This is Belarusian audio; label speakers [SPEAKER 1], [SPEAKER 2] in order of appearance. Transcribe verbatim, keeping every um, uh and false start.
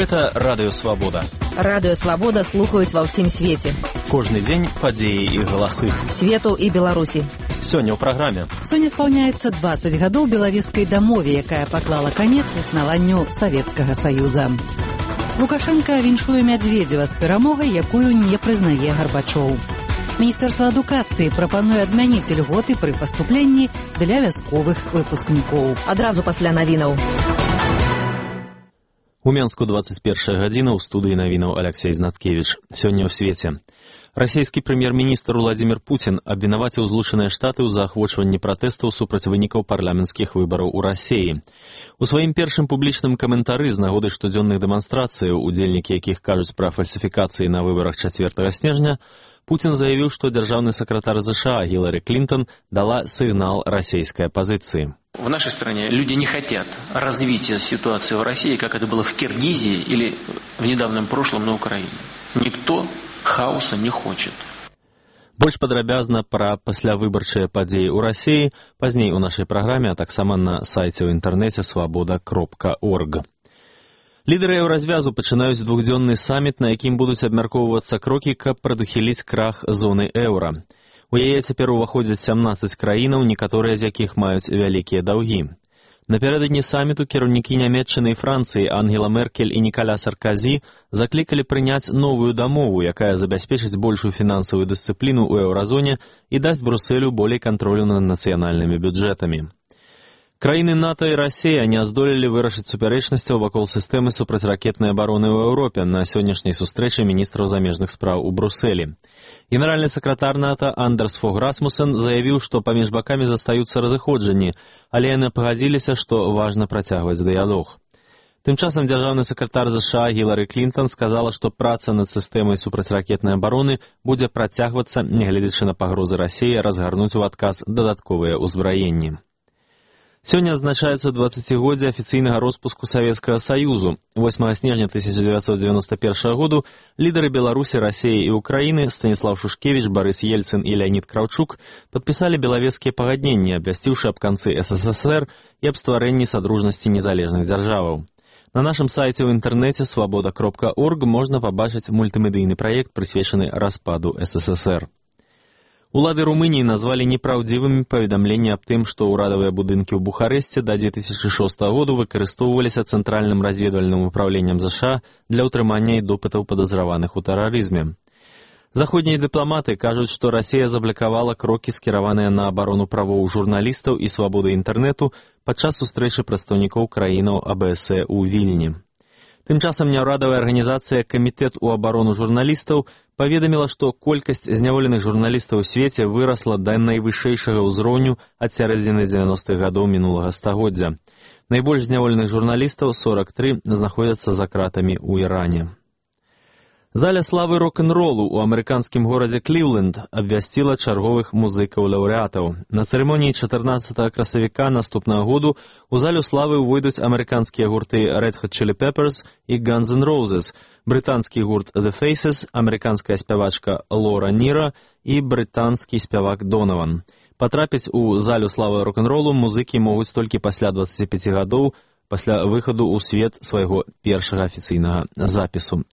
[SPEAKER 1] Гэта Радыё Свабода.
[SPEAKER 2] Радыё Свабода слухаюць ва ўсім свеце.
[SPEAKER 1] Кожны дзень падзеі і галасы
[SPEAKER 2] Свету і Беларусі.
[SPEAKER 1] Сёння ў праграме.
[SPEAKER 3] Сёння спаўняецца дваццаць гадоў белавежскай дамове, якая паклала канец існаванню Савецкага Саюза. Лукашенка віншуе Мядзведзева з перамогай, якую не прызнае Гарбачоў. Міністэрства адукацыі прапануе адмяніць льготы пры паступленні для вясковых выпускнікоў.
[SPEAKER 2] Адразу пасля навінаў.
[SPEAKER 1] У Менску двадцать первая гадзіна, ў студыі навінаў Алексей Знаткевич. Сёння ў свеце. Расійскі прэм'ер-міністр Владзімір Пуцін абвінаваціў Злучаныя Штаты ў заахвочванні пратэстаў супраць вынікаў парламенцкіх выбараў у Расіі. У сваім першым публічным каментары з нагоды штодзённых дэманстрацыяў, удзельнікі якіх кажуць пра фальсіфікацыі на выбарах чацвёртага снежня, Путин заявил, что державный секретарь США Хиллари Клинтон дала сигнал российской оппозиции.
[SPEAKER 4] В нашей стране люди не хотят развития ситуации в России, как это было в Киргизии или в недавнем прошлом на Украине. Никто хаоса не хочет.
[SPEAKER 1] Больш падрабязна пра паслявыбарчыя падзеі ў Расіі пазней у нашай праграме, а таксама на сайце ў інтэрнэце свабода кропка орг. Лідары еўразвязу пачынаюць двухдзённы саміт, на якім будуць абмяркоўвацца крокі, каб прадухіліць крах зоны еўра. У яе цяпер уваходзяць сямнаццаць краінаў, некаторыя з якіх маюць вялікія даўгі. Напярэдадні саміту кіраўнікі Нямецчыны і Францыі Ангела Меркель і Нікаля Сарказі заклікалі прыняць новую дамову, якая забяспечыць большую фінансавую дысцыпліну ў еўразоне і дасць Брусэлю болей кантролю над нацыянальнымі бюджэтамі. Краіны НАТО і Расія не здолелі вырашыць супярэчнасцяў вакол сістэмы супрацьракетнай абароны ў Еўропе на сённяшняй сустрэчы міністраў замежных спраў у Брусэлі. Генеральны сакратар НАТО Андерс Фог Расмусен заявіў, што паміж бакамі застаюцца разыходжанні, але яны пагадзіліся, што важна працягваць дыялог. Тым часам дзяржаўны сакратар США Хілары Клінтон сказала, што праца над сістэмай супрацьракетнай абароны будзе працягвацца, нягледзячы на пагрозы Расіі разгарнуць у адказ дадатковыя ўзбраенні. Сёння адзначаецца дваццацігоддзе афіцыйнага роспуску Савецкага Саюзу. восьмага снежня тысяча дзевяцьсот девяносто первого году лідары Беларусі, Расіі і Украіны Станіслав Шушкевіч, Барыс Ельцын і Леонід Краўчук падпісалі белавежскія пагадненні, абвясціўшы аб канцы эс эс эс эр і аб стварэнні садружнасці незалежных дзяржаваў. На нашым сайце ў інтэрнэце свабода кропка орг можна пабачыць мультымедыйны праект, прысвечаны распаду эс эс эс эр. Улады Румыніі назвалі непраўдзівымі паведамленні аб тым, што ўрадавыя будынкі ў Бухарэсце да две тысячи шостага году выкарыстоўваліся Цэнтральным разведвальным управленнем ЗША для ўтрымання і допытаў падазраваных у тэрарызме. Заходнія дыпламаты кажуць, што Расія заблакавала крокі, скіраваныя на абарону правоў журналістаў і свабоды інтэрнэту падчас сустрэчы прадстаўнікоў краінаў а бэ эс э ў Вільні. Тым часам няўрадавая арганізацыя «Камітэт у абарону журналістаў» паведаміла, што колькасць зняволеных журналістаў у свеце вырасла да найвышэйшага ўзроўню ад сярэдзіны дзевяностых гадоў мінулага стагоддзя. Найбольш зняволеных журналістаў, сорок три, знаходзяцца за кратамі ў Іране. Заля славы рок-н-ролу ў амерыканскім горадзе Кліўленд абвясціла чарговых музыкаў-лаўрэатаў. На цырымоніі чатырнаццатага красавіка наступнага году у залю славы ўвойдуць амерыканскія гурты Red Hot Chili Peppers і Guns N' Roses, брытанскі гурт The Faces, амерыканская спявачка Лора Ніра і брытанскі спявак Донаван. Патрапіць у залю славы рок-н-ролу музыкі могуць толькі пасля дваццаці пяці гадоў, пасля выхаду ў свет свайго першага афіцыйнага запісу.